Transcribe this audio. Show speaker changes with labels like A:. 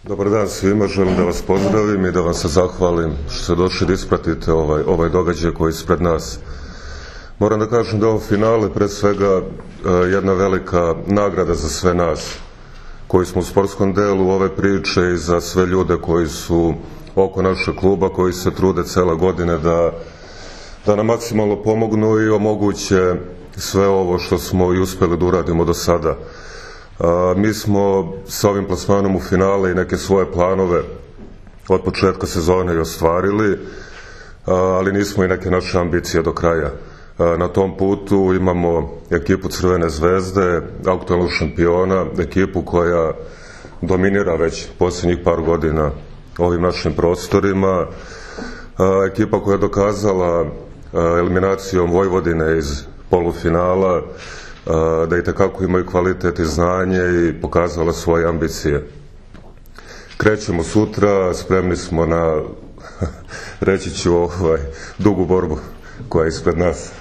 A: Dobar dan svima, želim da vas pozdravim i da vam se zahvalim što ste došli da ispratite ovaj događaj koji je ispred nas. Moram da kažem da ovo finale pre svega jedna velika nagrada za sve nas koji smo u sportskom delu ove priče i za sve ljude koji su oko našeg kluba, koji se trude cela godine da nam maksimalno pomognu i omoguće sve ovo što smo i uspeli da uradimo do sada. Mi smo sa ovim plasmanom u finale i neke svoje planove od početka sezone i ostvarili, ali nismo i neke naše ambicije do kraja. Na tom putu imamo ekipu Crvene zvezde, aktualnog šampiona, ekipu koja dominira već posljednjih par godina ovim našim prostorima, ekipa koja je dokazala eliminacijom Vojvodine iz polufinala da i tekako imaju kvalitet i znanje i pokazala svoje ambicije. Krećemo sutra, spremni smo na, reći ću, dugu borbu koja je ispred nas.